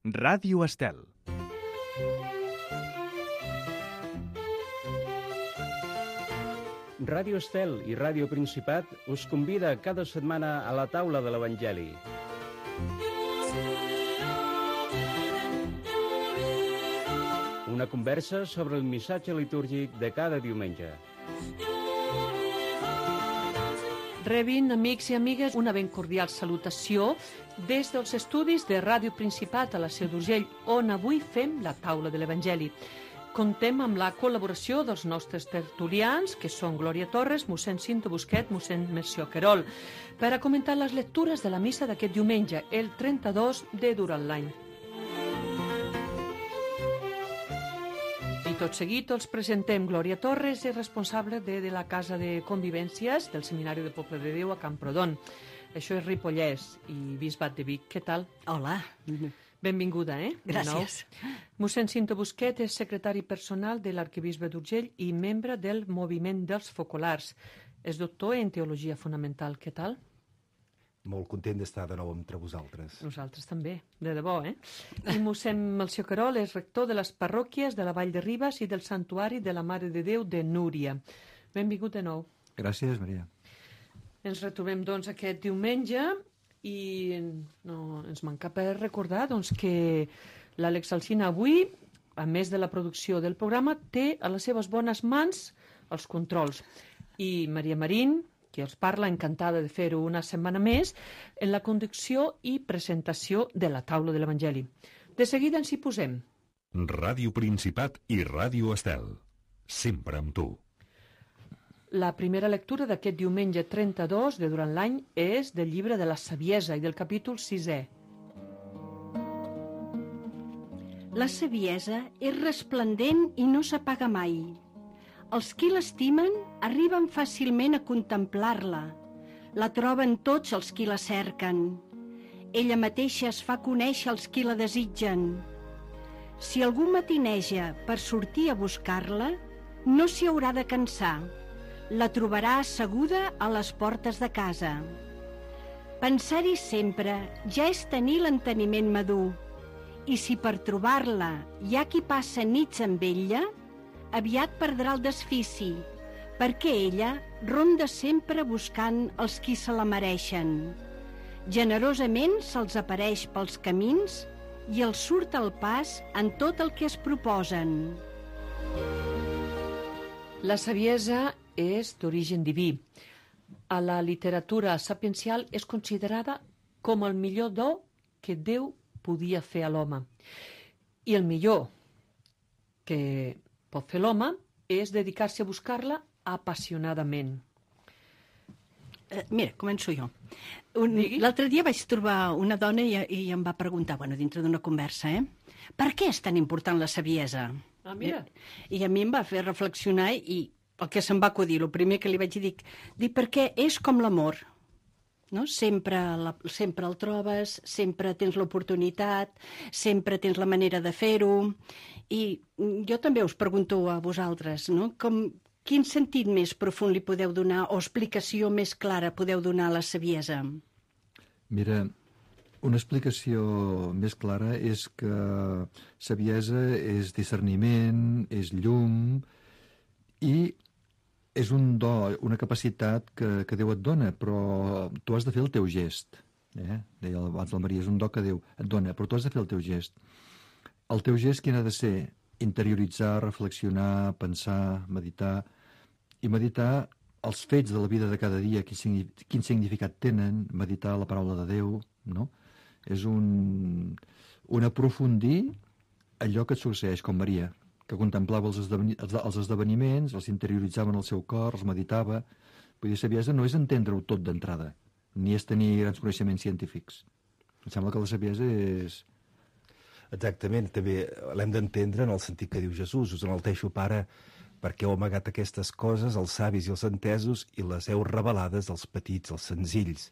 Ràdio Estel. Ràdio Estel i Ràdio Principat us convida cada setmana a la taula de l'Evangeli. Una conversa sobre el missatge litúrgic de cada diumenge. Rebin, amics i amigues, una ben cordial salutació des dels estudis de Ràdio Principat a la Seu d'Urgell, on avui fem la taula de l'Evangeli. Contem amb la col·laboració dels nostres tertulians, que són Glòria Torres, mossèn Cinto Busquet, mossèn Melcior Querol, per a comentar les lectures de la missa d'aquest diumenge, el 32 de Durant l'Any. I tot seguit els presentem. Glòria Torres és responsable de la Casa de Convivències del Seminari de Poble de Déu a Camprodon. Això és Ripollès i Bisbat de Vic. Què tal? Hola. Benvinguda, Gràcies. Mossèn Cinto Busquet és secretari personal de l'Arquebisbe d'Urgell i membre del Moviment dels Focolars. És doctor en Teologia Fonamental. Què tal? Molt content d'estar de nou entre vosaltres. Nosaltres també, de debò, I mossèn Melcior Querol és rector de les parròquies de la Vall de Ribes i del Santuari de la Mare de Déu de Núria. Benvingut de nou. Gràcies, Maria. Ens retrobem, doncs, aquest diumenge i no ens manca per recordar que l'Àlex Alsina avui, a més de la producció del programa, té a les seves bones mans els controls. I Maria Marín, qui els parla, encantada de fer-ho una setmana més, en la conducció i presentació de la taula de l'Evangeli. De seguida ens hi posem. Ràdio Principat i Ràdio Estel. Sempre amb tu. La primera lectura d'aquest diumenge 32 de Durant l'Any és del llibre de la Saviesa i del capítol 6è. La saviesa és resplendent i no s'apaga mai. Els qui l'estimen arriben fàcilment a contemplar-la. La troben tots els qui la cerquen. Ella mateixa es fa conèixer als qui la desitgen. Si algú matineja per sortir a buscar-la, no s'hi haurà de cansar. La trobarà asseguda a les portes de casa. Pensar-hi sempre ja és tenir l'enteniment madur. I si per trobar-la hi ha qui passa nits amb ella, aviat perdrà el desfici, perquè ella ronda sempre buscant els qui se la mereixen. Generosament se'ls apareix pels camins i els surt al pas en tot el que es proposen. La saviesa és d'origen diví. A la literatura sapiencial és considerada com el millor do que Déu podia fer a l'home. I el millor que pot fer l'home és dedicar-se a buscar-la apassionadament. Mira, començo jo. L'altre dia vaig trobar una dona i em va preguntar, dintre d'una conversa, per què és tan important la saviesa? Ah, mira. I a mi em va fer reflexionar i el que se'm va acudir, el primer que li vaig dir perquè és com l'amor. No? Sempre el trobes, sempre tens l'oportunitat, sempre tens la manera de fer-ho. I jo també us pregunto a vosaltres, no? Quin sentit més profund li podeu donar o explicació més clara podeu donar a la saviesa? Mira, una explicació més clara és que saviesa és discerniment, és llum i és un do, una capacitat que Déu et dona, però tu has de fer el teu gest. Deia abans la Maria, és un do que Déu et dona, però tu has de fer el teu gest. El teu gest quin ha de ser? Interioritzar, reflexionar, pensar, meditar, i meditar els fets de la vida de cada dia, quin significat tenen, meditar la paraula de Déu, no? És un aprofundir allò que et succeeix, com Maria, que contemplava els esdeveniments, els interioritzava en el seu cor, els meditava. Vull dir, saviesa no és entendre-ho tot d'entrada, ni és tenir grans coneixements científics. Em sembla que la saviesa és... Exactament, també l'hem d'entendre en el sentit que diu Jesús. Us enalteixo, Pare, perquè heu amagat aquestes coses als savis i als entesos i les heu revelades als petits, als senzills.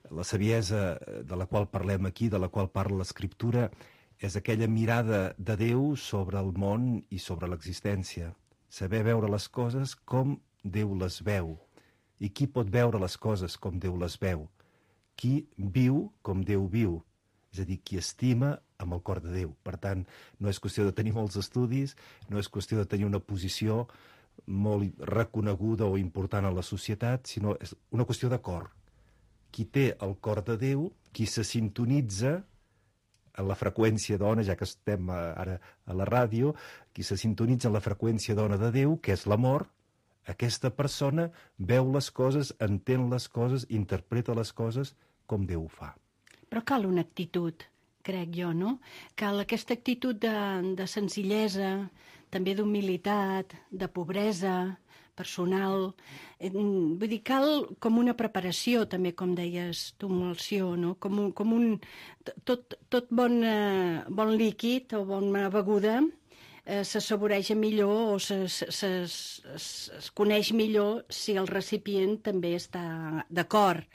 La saviesa de la qual parlem aquí, de la qual parla l'Escriptura, és aquella mirada de Déu sobre el món i sobre l'existència. Saber veure les coses com Déu les veu. I qui pot veure les coses com Déu les veu? Qui viu com Déu viu. És a dir, qui estima amb el cor de Déu. Per tant, no és qüestió de tenir molts estudis, no és qüestió de tenir una posició molt reconeguda o important a la societat, sinó és una qüestió de cor. Qui té el cor de Déu, qui se sintonitza en la freqüència d'ona, ja que estem ara a la ràdio, qui se sintonitza en la freqüència d'ona de Déu, que és l'amor, aquesta persona veu les coses, entén les coses, interpreta les coses com Déu ho fa. Però cal una actitud, crec jo, no? Cal aquesta actitud de senzillesa, també d'humilitat, de pobresa personal. Vull dir, cal com una preparació, també, com deies tu, Melció, no? Com un... Tot bon líquid o bona beguda s'assaboreja millor o es coneix millor si el recipient també està d'acord.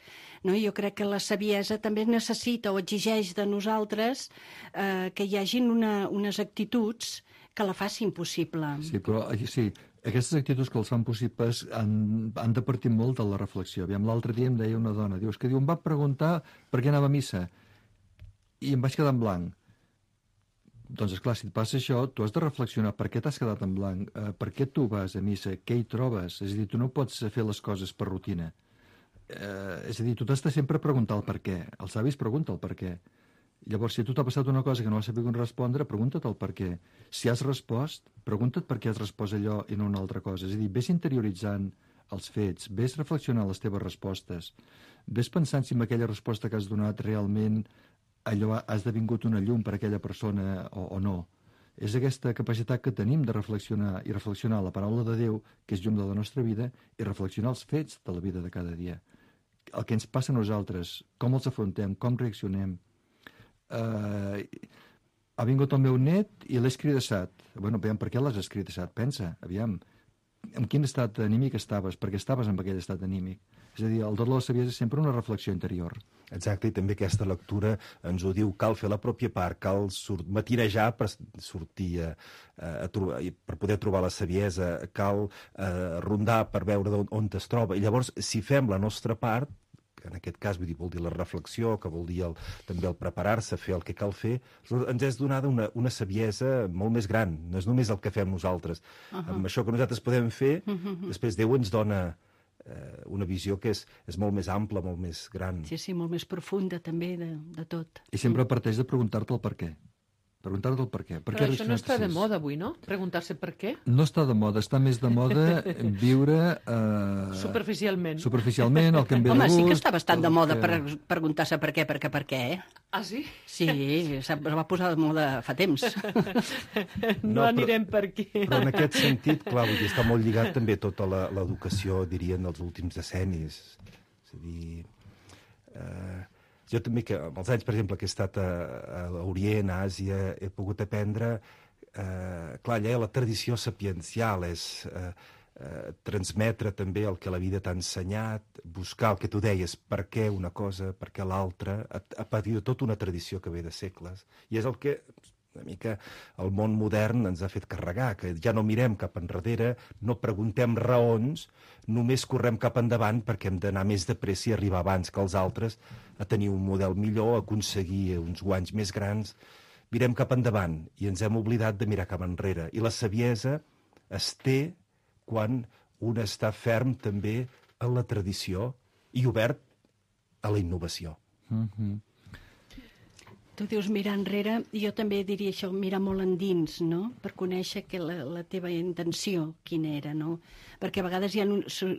No? Jo crec que la saviesa també necessita o exigeix de nosaltres que hi hagin unes actituds que la facin possible. Sí, però sí, aquestes actituds que els fan possibles han de partir molt de la reflexió. L'altre dia em deia una dona, em va preguntar per què anava a missa i em vaig quedar en blanc. Doncs, esclar, si et passa això, tu has de reflexionar per què t'has quedat en blanc, per què tu vas a missa, què hi trobes? És a dir, tu no pots fer les coses per rutina. És a dir, tu t'has de sempre preguntar el per què. Els savis pregunta el per què. Llavors, si a tu t'ha passat una cosa que no has sabut respondre, pregunta't el per què. Si has respost, pregunta't per què has respost allò i no una altra cosa. És a dir, vés interioritzant els fets, vés reflexionant les teves respostes, vés pensant si amb aquella resposta que has donat realment allò ha esdevingut una llum per a aquella persona o no. És aquesta capacitat que tenim de reflexionar i reflexionar la paraula de Déu, que és llum de la nostra vida, i reflexionar els fets de la vida de cada dia. El que ens passa a nosaltres, com els afrontem, com reaccionem. Ha vingut el meu net i l'he escridassat. Bueno, aviam, per què l'has escridassat? Pensa, aviam, en quin estat anímic estaves? Per què estaves en aquell estat anímic? És a dir, el do de la saviesa és sempre una reflexió interior. Exacte, i també aquesta lectura ens ho diu, cal fer la pròpia part, cal matinejar per sortir per poder trobar la saviesa, cal rondar per veure on es troba. I llavors, si fem la nostra part, que en aquest cas vol dir la reflexió, que vol dir també el preparar-se, fer el que cal fer, ens és donada una saviesa molt més gran. No és només el que fem nosaltres. Amb això que nosaltres podem fer, després Déu ens dona una visió que és molt més ampla, molt més gran. Sí, molt més profunda també de tot. I sempre parteix de preguntar-te el per què. Preguntar-te el per què. Però això no està de moda avui, no? Preguntar-se per què? No està de moda, està més de moda viure... Superficialment. Superficialment, el que em ve de gust... Home, sí que està bastant de moda preguntar-se per què, Ah, sí? Sí, es va posar de moda fa temps. No anirem per què. Però en aquest sentit, clar, vull dir, està molt lligat també tota l'educació, dirien, dels últims decennis. És a dir... Jo també, que amb els anys, per exemple, que he estat a l'Orient, a Àsia, he pogut aprendre... clar, allà la tradició sapiencial és transmetre també el que la vida t'ha ensenyat, buscar el que tu deies, per què una cosa, per què l'altra, a partir de tota una tradició que ve de segles. I és el que una mica el món modern ens ha fet carregar, que ja no mirem cap enrere, no preguntem raons, només correm cap endavant perquè hem d'anar més de pressa i arribar abans que els altres a tenir un model millor, a aconseguir uns guanys més grans. Mirem cap endavant i ens hem oblidat de mirar cap enrere. I la saviesa es té quan un està ferm també en la tradició i obert a la innovació. Tu dius mirar enrere, i jo també diria això, mirar molt endins, no? Per conèixer que la teva intenció quina era, no? Perquè a vegades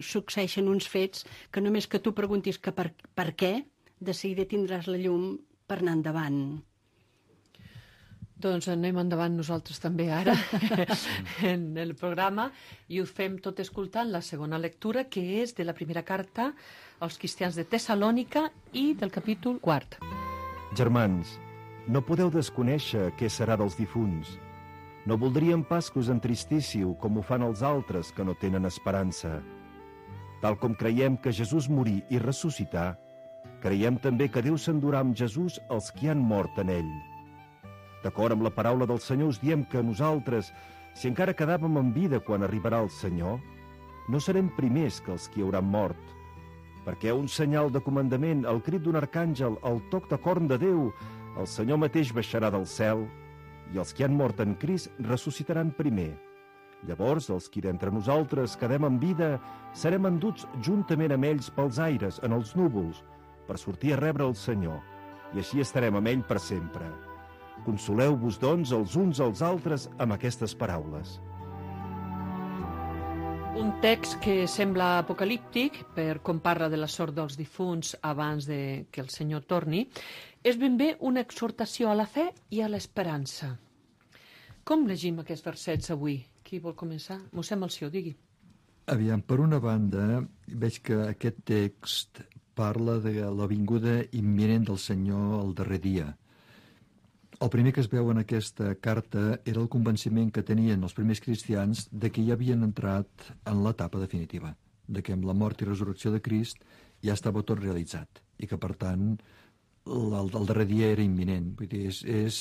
succeeixen uns fets que només que tu preguntis que per què, de seguida tindràs la llum per anar endavant. Doncs anem endavant nosaltres també ara en el programa i ho fem tot escoltant la segona lectura, que és de la primera carta als cristians de Tessalònica i del capítol 4. Germans, no podeu desconèixer què serà dels difunts. No voldríem pas que us entristíssiu com ho fan els altres que no tenen esperança. Tal com creiem que Jesús morí i ressuscità, creiem també que Déu s'endurà amb Jesús els qui han mort en ell. D'acord amb la paraula del Senyor us diem que nosaltres, si encara quedàvem en vida quan arribarà el Senyor, no serem primers que els qui hauran mort, perquè un senyal de comandament, el crit d'un arcàngel, el toc de corn de Déu, El Senyor mateix baixarà del cel i els que han mort en Crist ressuscitaran primer. Llavors, els qui d'entre nosaltres quedem en vida serem enduts juntament amb ells pels aires, en els núvols, per sortir a rebre el Senyor, i així estarem amb ell per sempre. Consoleu-vos, doncs, els uns als altres amb aquestes paraules. Un text que sembla apocalíptic, per com parla de la sort dels difunts abans de que el Senyor torni, és ben bé una exhortació a la fe i a l'esperança. Com llegim aquests versets avui? Qui vol començar? Mossèn Melcior, digui. Aviam, per una banda, veig que aquest text parla de la vinguda imminent del Senyor al darrer dia. El primer que es veu en aquesta carta era el convenciment que tenien els primers cristians de que ja havien entrat en l'etapa definitiva, de que amb la mort i resurrecció de Crist ja estava tot realitzat i que, per tant, el darrer dia era imminent. Vull dir, és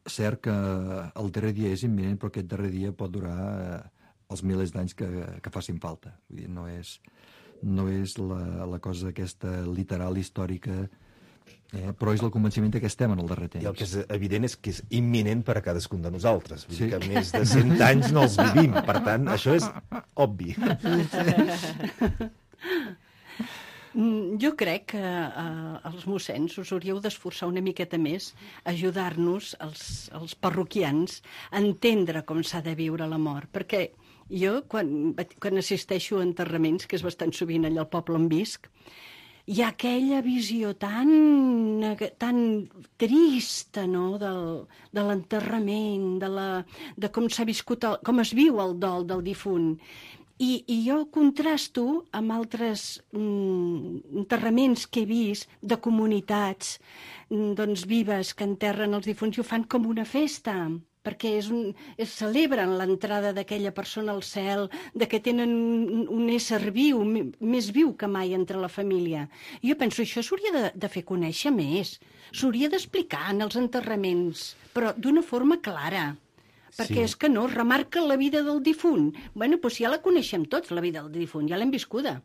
cert que el darrer dia és imminent, però aquest darrer dia pot durar els milers d'anys que facin falta. Vull dir, no és la cosa aquesta literal, històrica, però és el convenciment que estem en el darrer temps. I el que és evident és que és imminent per a cadascun de nosaltres. Vull dir que més de 100 anys no els vivim. Per tant, això és obvi. Jo crec que els mossens us hauríeu d'esforçar una miqueta més a ajudar-nos, els parroquians, a entendre com s'ha de viure la mort. Perquè jo, quan assisteixo a enterraments, que és bastant sovint allà al poble on visc, hi ha aquella visió tan trista, no?, de l'enterrament, de com s'ha viscut, com es viu el dol del difunt. I jo contrasto amb altres enterraments que he vist de comunitats vives que enterren els difunts i ho fan com una festa, perquè celebren l'entrada d'aquella persona al cel, de que tenen un ésser viu, més viu que mai entre la família. I jo penso, això s'hauria de fer conèixer més, s'hauria d'explicar en els enterraments, però d'una forma clara. Perquè és que no, remarca la vida del difunt. Bueno, doncs ja la coneixem tots, la vida del difunt, ja l'hem viscuda.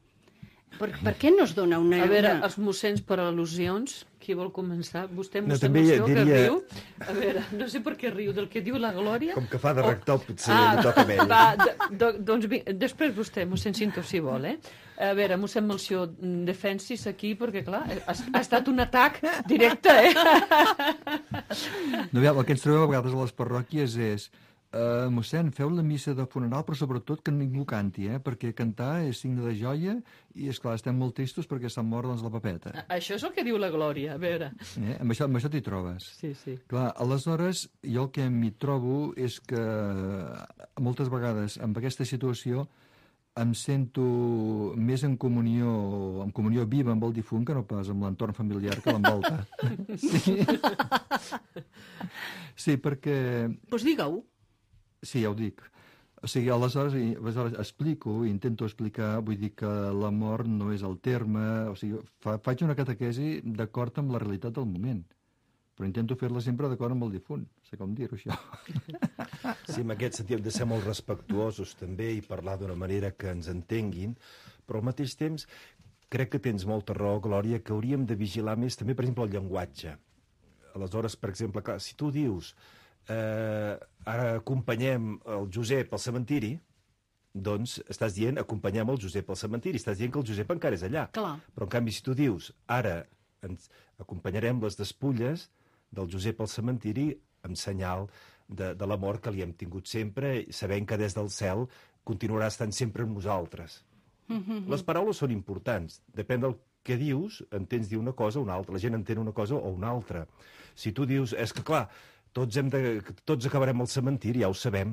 Per què no es dona una... A veure, els mossens per al·lusions, qui vol començar? Vostè, mossèn també Melcior, que diria... riu. A veure, no sé per què riu, del que diu la Glòria. Com que fa de rector, potser li toca a ell. Va, doncs després vostè, mossèn Cinto, si vol, A veure, mossèn Melcior, defensis aquí, perquè, clar, ha estat un atac directe, No, el que ens trobem a vegades a les parròquies és mossèn, feu la missa de funeral, però sobretot que ningú canti, perquè cantar és signe de joia i, esclar, estem molt tristos perquè s'ha mort la papeta. Això és el que diu la Glòria, a veure. Amb això t'hi trobes. Sí, sí. Clar, aleshores, jo el que m'hi trobo és que moltes vegades amb aquesta situació em sento més en comunió viva amb el difunt que no pas amb l'entorn familiar que l'envolta. Sí, perquè... Doncs digue-ho. Sí, ja ho dic. O sigui, aleshores explico, intento explicar, vull dir que la mort no és el terme, o sigui, faig una catequesi d'acord amb la realitat del moment, però intento fer-la sempre d'acord amb el difunt, no sé com dir-ho, això. Sí, en aquest sentit hem de ser molt respectuosos també i parlar d'una manera que ens entenguin, però al mateix temps crec que tens molta raó, Glòria, que hauríem de vigilar més també, per exemple, el llenguatge. Aleshores, per exemple, clar, si tu dius ara acompanyem el Josep al cementiri, doncs estàs dient acompanyem el Josep al cementiri, estàs dient que el Josep encara és allà. Clar. Però en canvi si tu dius ara ens acompanyarem les despulles del Josep al cementiri en senyal de l'amor que li hem tingut sempre, sabent que des del cel continuarà estant sempre amb nosaltres. Les paraules són importants, depèn del que dius, entens dir una cosa o una altra, la gent entén una cosa o una altra. Si tu dius, és que clar, tots acabarem al cementiri, ja ho sabem.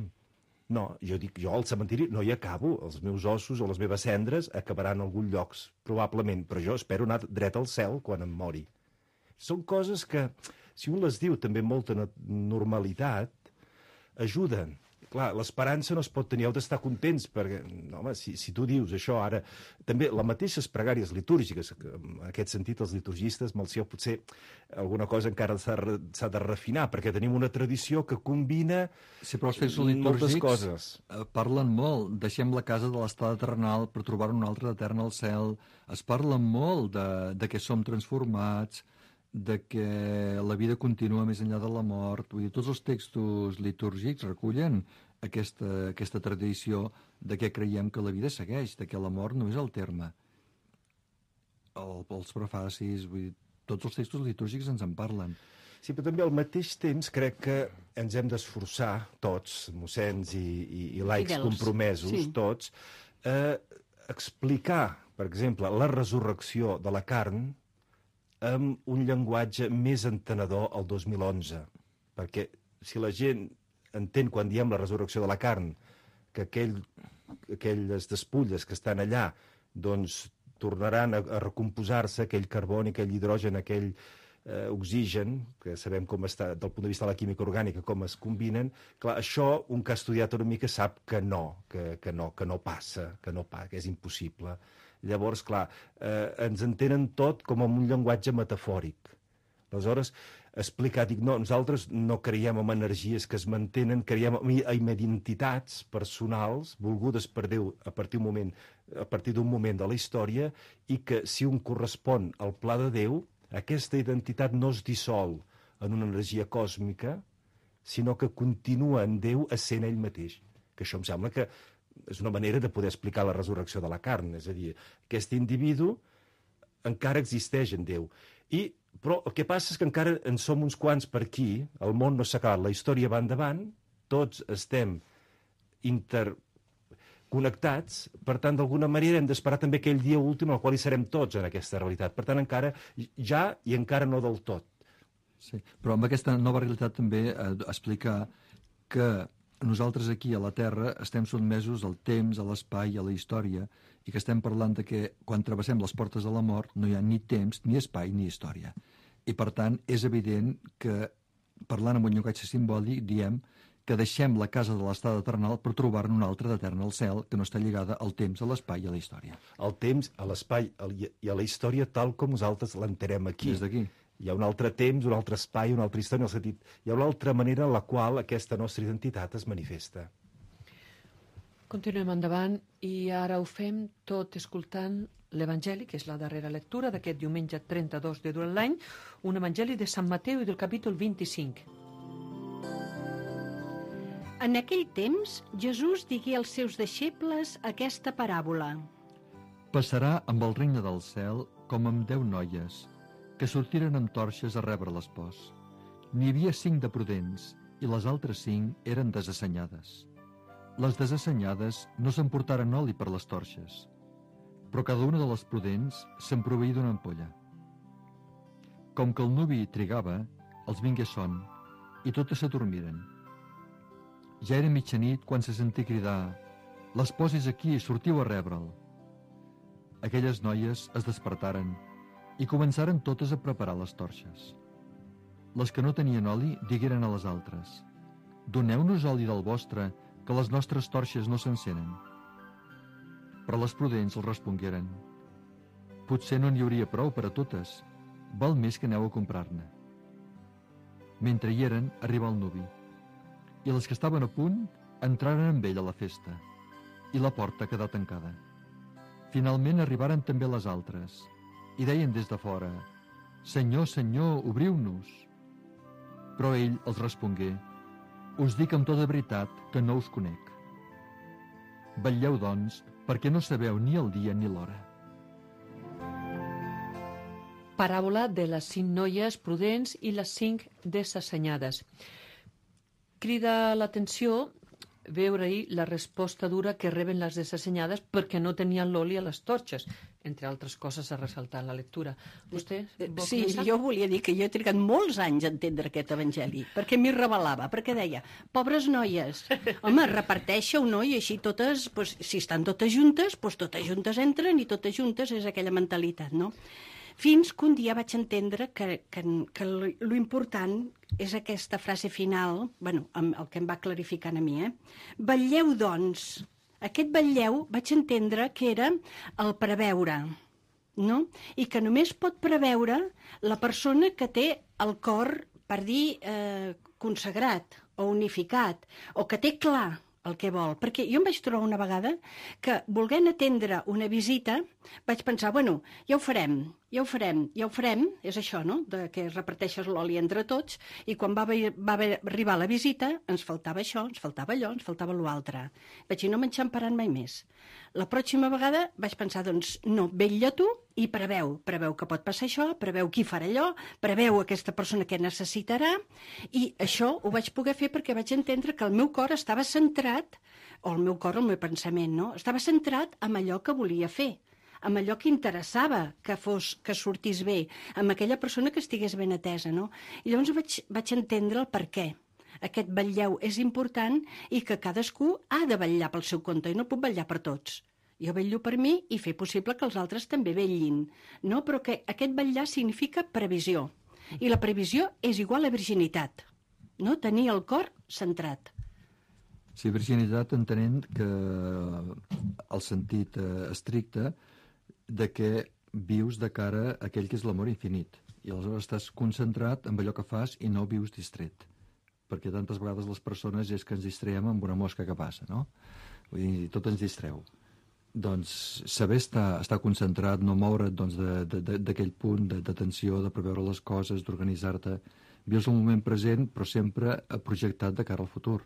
No, jo dic, jo al cementiri no hi acabo, els meus ossos o les meves cendres acabaran en algun lloc, probablement, però jo espero anar dret al cel quan em mori. Són coses que, si un les diu també amb molta normalitat, ajuden. Clar, l'esperança no es pot tenir, heu d'estar contents, perquè, no, home, si tu dius això ara... També les mateixes pregàries litúrgiques, en aquest sentit els liturgistes, Melcior, potser alguna cosa encara s'ha de refinar, perquè tenim una tradició que combina sí, però els fets moltes litúrgics coses. Parlen molt, deixem la casa de l'estada terrenal per trobar una altra eterna al cel, es parla molt de que som transformats, de que la vida continua més enllà de la mort. Vull dir, tots els textos litúrgics recullen aquesta tradició de que creiem que la vida segueix, de que la mort no és el terme. Els prefacis, vull dir, tots els textos litúrgics ens en parlen. Sí, però també al mateix temps crec que ens hem d'esforçar tots, mossens i laics Fidels. compromesos, Sí. tots, explicar, per exemple, la resurrecció de la carn amb un llenguatge més entenedor al 2011. Perquè si la gent entén quan diem la resurrecció de la carn que aquelles despulles que estan allà doncs tornaran a recomposar-se, aquell carboni, aquell hidrogen, aquell oxigen, que sabem com està, del punt de vista de la química orgànica, com es combinen, clar, això un que ha estudiat una mica sap que no passa, que és impossible. Llavors, clar, ens entenen tot com en un llenguatge metafòric. Aleshores, explicar, dic, no, nosaltres no creiem en energies que es mantenen, creiem en identitats personals volgudes per Déu a partir d'un moment de la història, i que si un correspon al pla de Déu, aquesta identitat no es dissol en una energia còsmica, sinó que continua en Déu essent ell mateix. Que això em sembla que és una manera de poder explicar la resurrecció de la carn. És a dir, aquest individu encara existeix en Déu. Però el que passa és que encara en som uns quants per aquí, el món no s'ha acabat, la història va endavant, tots estem interconnectats, per tant, d'alguna manera hem d'esperar també aquell dia últim al qual hi serem tots en aquesta realitat. Per tant, encara ja i encara no del tot. Sí, però amb aquesta nova realitat també explicar que nosaltres aquí a la Terra estem sotmesos al temps, a l'espai, a la història, i que estem parlant de que quan travessem les portes de la mort no hi ha ni temps, ni espai, ni història. I per tant és evident que, parlant amb un llenguatge simbòlic, diem que deixem la casa de l'estat eternal per trobar-ne una altra d'eterna al cel que no està lligada al temps, a l'espai i a la història. Al temps, a l'espai i a la història tal com nosaltres l'entenem aquí. Des d'aquí. Hi ha un altre temps, un altre espai, una altra història, en el sentit, hi ha una altra manera en la qual aquesta nostra identitat es manifesta. Continuem endavant i ara ho fem tot escoltant l'Evangeli, que és la darrera lectura d'aquest diumenge 32 de durant l'any, un Evangeli de Sant Mateu i del capítol 25. En aquell temps, Jesús digué als seus deixebles aquesta paràbola. Passarà amb el regne del cel com amb 10 noies, que sortiren amb torxes a rebre l'espòs. N'hi havia 5 de prudents, i les altres 5 eren desassenyades. Les desassenyades no s'emportaren oli per les torxes, però cada una de les prudents se'n proveí d'una ampolla. Com que el nuvi trigava, els vingué son, i totes s'adormiren. Ja era mitjanit quan se sentí cridar: «L'espòs és aquí, sortiu a rebre'l». Aquelles noies es despertaren i començaren totes a preparar les torxes. Les que no tenien oli digueren a les altres: «Doneu-nos oli del vostre, que les nostres torxes no s'encenen». Però les prudents els respongueren: «Potser no n'hi hauria prou per a totes, val més que aneu a comprar-ne». Mentre hi eren, arribà el nuvi, i les que estaven a punt entraren amb ell a la festa, i la porta quedà tancada. Finalment arribaren també les altres, i deien des de fora: «Senyor, Senyor, obriu-nos». Però ell els respongué: «Us dic amb tota veritat que no us conec. Vetlleu, doncs, perquè no sabeu ni el dia ni l'hora». Paràbola de les 5 noies prudents i les 5 desassenyades. Crida l'atenció veure-hi la resposta dura que reben les desassenyades perquè no tenien l'oli a les torxes, entre altres coses a ressaltar en la lectura. Vostè vol Sí, començar? jo volia dir que jo he trigat molts anys a entendre aquest evangeli, perquè m'hi revelava, perquè deia: pobres noies, home, reparteixeu, no? I així totes, pues, si estan totes juntes, pues totes juntes entren i totes juntes és aquella mentalitat, no? Fins que un dia vaig entendre que lo important és aquesta frase final, bueno, el que em va clarificant a mi, Vetlleu, doncs. Aquest vetlleu vaig entendre que era el preveure, no? I que només pot preveure la persona que té el cor, per dir, consagrat o unificat, o que té clar el que vol. Perquè jo em vaig trobar una vegada que, volent atendre una visita, vaig pensar, bueno, ja ho farem, és això, no?, de que reparteixes l'oli entre tots, i quan va arribar la visita ens faltava això, ens faltava allò, ens faltava l'altre. Vaig dir, no m'enxamparan mai més. La pròxima vegada vaig pensar, doncs, no, vetlla tu i preveu que pot passar això, preveu qui farà allò, preveu aquesta persona que necessitarà, i això ho vaig poder fer perquè vaig entendre que el meu cor estava centrat, o el meu cor, el meu pensament, no?, estava centrat en allò que volia fer, amb allò que interessava que sortís bé, amb aquella persona que estigués ben atesa, no? I llavors vaig entendre el per què. Aquest vetlleu és important i que cadascú ha de vetllar pel seu compte i no puc vetllar per tots. Jo vetllo per mi i fer possible que els altres també vetllin, no? Però que aquest vetllar significa previsió. I la previsió és igual a virginitat, no? Tenir el cor centrat. Sí, virginitat entenent que el sentit estricte de que vius de cara a aquell que és l'amor infinit. I aleshores estàs concentrat en allò que fas i no vius distret. Perquè tantes vegades les persones és que ens distreem amb una mosca que passa, no? Vull dir, tot ens distreu. Doncs saber estar concentrat, no moure't doncs, d'aquell punt d'atenció, de preveure les coses, d'organitzar-te. Vius el moment present, però sempre projectat de cara al futur.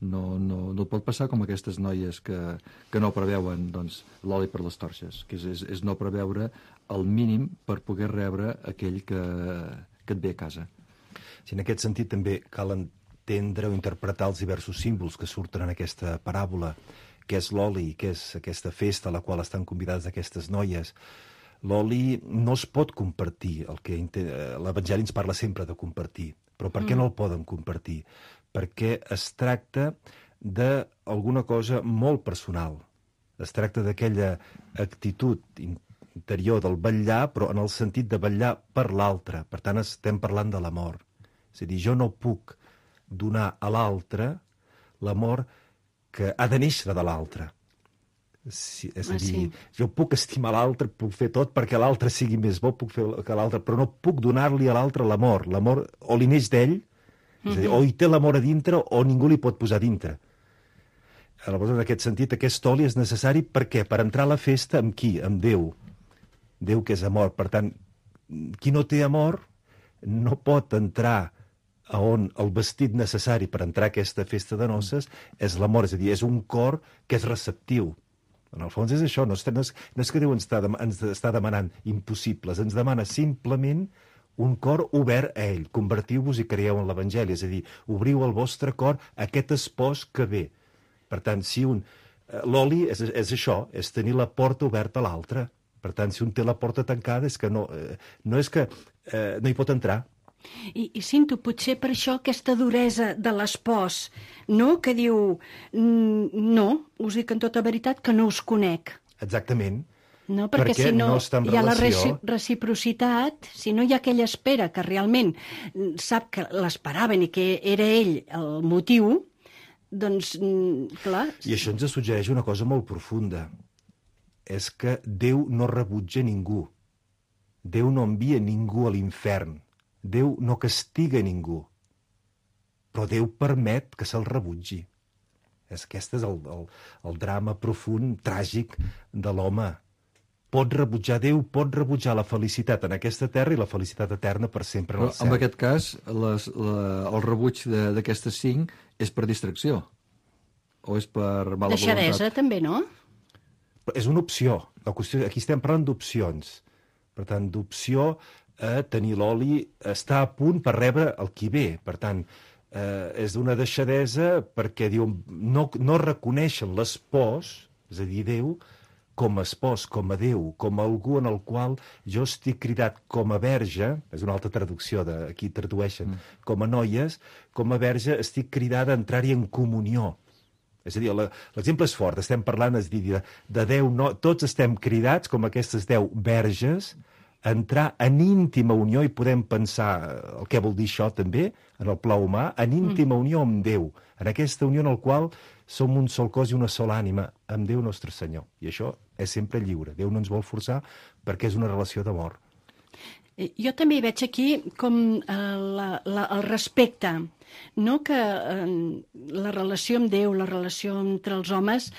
No et pot passar com aquestes noies que no preveuen doncs, l'oli per les torxes, que és no preveure el mínim per poder rebre aquell que et ve a casa. Si en aquest sentit també cal entendre o interpretar els diversos símbols que surten en aquesta paràbola, què és l'oli, què és aquesta festa a la qual estan convidades aquestes noies. L'oli no es pot compartir, l'Evangeli ens parla sempre de compartir, però per què no el poden compartir? Perquè es tracta d'alguna cosa molt personal. Es tracta d'aquella actitud interior del vetllar, però en el sentit de vetllar per l'altre. Per tant, estem parlant de l'amor. És a dir, jo no puc donar a l'altre l'amor que ha de néixer de l'altre. És a dir, jo puc estimar l'altre, puc fer tot perquè l'altre sigui més bo, puc fer que l'altre, però no puc donar-li a l'altre l'amor. L'amor o li neix d'ell, és a dir, o hi té l'amor a dintre o ningú li pot posar a dintre. Aleshores, en aquest sentit, aquest oli és necessari per què? Per entrar a la festa amb qui? Amb Déu. Déu que és amor. Per tant, qui no té amor no pot entrar a on el vestit necessari per entrar a aquesta festa de noces és l'amor. És a dir, és un cor que és receptiu. En el fons és això. No és que Déu ens està demanant impossibles. Ens demana simplement un cor obert a ell. Convertiu-vos i creieu en l'Evangeli. És a dir, obriu el vostre cor a aquest espòs que ve. Per tant, si l'oli és això, és tenir la porta oberta a l'altre. Per tant, si un té la porta tancada és que no és que no hi pot entrar. I Cinto, potser per això aquesta duresa de l'espòs, no? Que diu, no, us dic en tota veritat que no us conec. Exactament. No, perquè si no hi ha la reciprocitat, si no hi ha aquella espera que realment sap que l'esperaven i que era ell el motiu, doncs, clar... I això ens suggereix una cosa molt profunda. És que Déu no rebutja ningú. Déu no envia ningú a l'infern. Déu no castiga ningú. Però Déu permet que se'l rebutgi. Aquest és el drama profund, tràgic de l'home. Pot rebutjar Déu, pot rebutjar la felicitat en aquesta terra i la felicitat eterna per sempre en el cel. En aquest cas, el rebuig d'aquestes 5 és per distracció? O és per mala voluntat? Deixadesa, també, no? És una opció. Aquí estem parlant d'opcions. Per tant, d'opció a tenir l'oli, està a punt per rebre el qui ve. Per tant, és d'una deixadesa perquè diu, no reconeixen l'espòs, és a dir, Déu, com a espòs, com a Déu, com a algú en el qual jo estic cridat com a verge, és una altra traducció, aquí tradueixen, com a noies, com a verge estic cridada a entrar-hi en comunió. És a dir, l'exemple és fort, estem parlant de 10, tots estem cridats, com aquestes 10 verges, a entrar en íntima unió, i podem pensar el que vol dir això també, en el pla humà, en íntima unió amb Déu, en aquesta unió en la qual som un sol cos i una sola ànima, amb Déu nostre Senyor. I això és sempre lliure. Déu no ens vol forçar perquè és una relació d'amor. Jo també hi veig aquí com el respecte, no? Que la relació amb Déu, la relació entre els homes,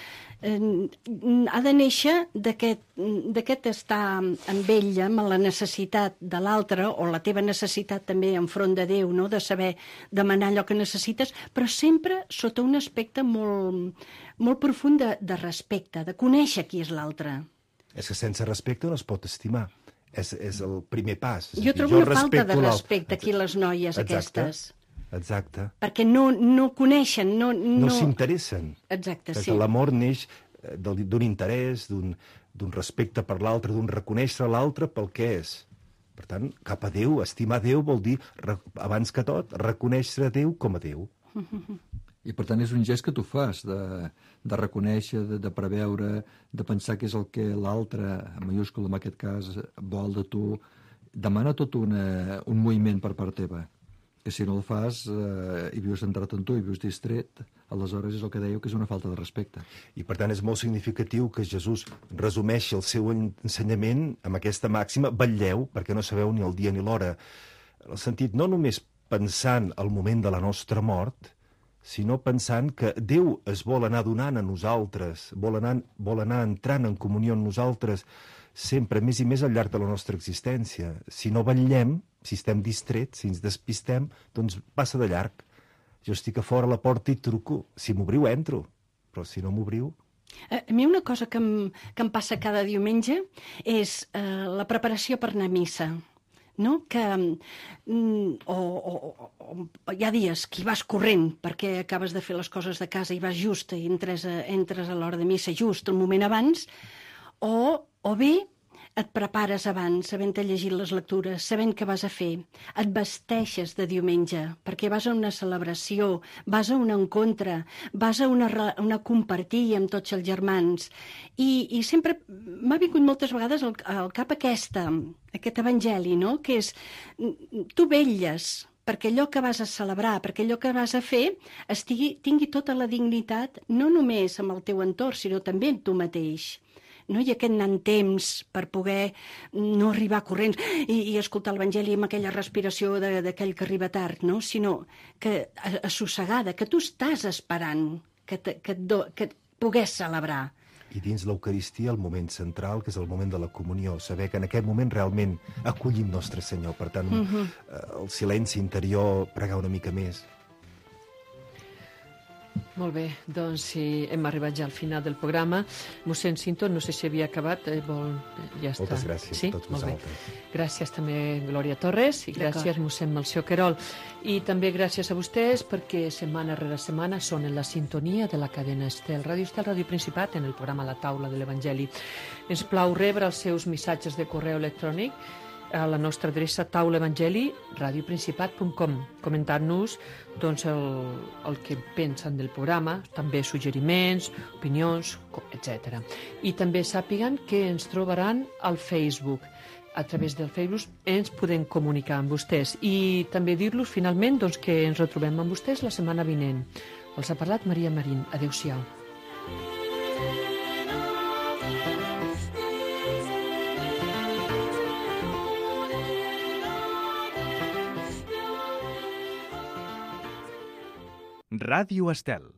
ha de néixer d'aquest estar amb ella, amb la necessitat de l'altre, o la teva necessitat també enfront de Déu, no? De saber demanar allò que necessites, però sempre sota un aspecte molt profund de respecte, de conèixer qui és l'altre. És que sense respecte no es pot estimar. És el primer pas. Jo trobo una falta de respecte aquí les noies aquestes. Exacte. Perquè no coneixen, no s'interessen. Exacte, perquè sí. l'amor neix d'un interès, d'un respecte per l'altre, d'un reconèixer l'altre pel que és. Per tant, cap a Déu, estimar Déu vol dir, abans que tot, reconèixer Déu com a Déu. I per tant és un gest que tu fas, de reconèixer, de preveure, de pensar què és el que l'altre, en majúscul en aquest cas, vol de tu. Demana tot un moviment per part teva, que si no el fas i vius centrat en tu i vius distret, aleshores és el que dèieu que és una falta de respecte. I per tant és molt significatiu que Jesús resumeixi el seu ensenyament amb aquesta màxima: vetlleu, perquè no sabeu ni el dia ni l'hora. En el sentit, no només pensant al moment de la nostra mort, sinó pensant que Déu es vol anar donant a nosaltres, vol anar entrant en comunió amb nosaltres sempre més i més al llarg de la nostra existència. Si no vetllem, si estem distrets, si ens despistem, doncs passa de llarg. Jo estic a fora a la porta i truco. Si m'obriu, entro. Però si no m'obriu... A mi una cosa que em passa cada diumenge és la preparació per anar a missa. No? Que hi ha dies que hi vas corrent perquè acabes de fer les coses de casa i vas just i entres a l'hora de missa just un moment abans, o bé et prepares abans, havent-te llegit les lectures, sabent què vas a fer, et vesteixes de diumenge, perquè vas a una celebració, vas a un encontre, vas a una compartir amb tots els germans. I sempre m'ha vingut moltes vegades al cap aquest evangeli, no? Que és, tu vetlles perquè allò que vas a celebrar, perquè allò que vas a fer tingui tota la dignitat, no només amb el teu entorn, sinó també amb tu mateix. No? I aquest anant temps per poder no arribar corrents i escoltar l'Evangeli amb aquella respiració d'aquell que arriba tard, no? Sinó que assossegada, que tu estàs esperant que pogués celebrar. I dins l'Eucaristia el moment central, que és el moment de la comunió, saber que en aquest moment realment acollim Nostre Senyor. Per tant, el silenci interior, pregar una mica més. Molt bé, doncs sí, hem arribat ja al final del programa. Mossèn Cinto, no sé si havia acabat, ja està. Moltes gràcies a tots vosaltres. Gràcies també Glòria Torres i gràcies mossèn Melcior Querol. I també gràcies a vostès perquè setmana rere setmana són en la sintonia de la cadena Estel, Ràdio Estel, Ràdio Principat, en el programa La Taula de l'Evangeli. Ens plau rebre els seus missatges de correu electrònic a la nostra adreça taulaevangeli@radioprincipat.com, comentant-nos doncs, el que pensen del programa, també suggeriments, opinions, etc. I també sàpiguen que ens trobaran al Facebook. A través del Facebook ens podem comunicar amb vostès. I també dir-los finalment doncs, que ens retrobem amb vostès la setmana vinent. Els ha parlat Maria Marín. Adéu-siau. Ràdio Estel.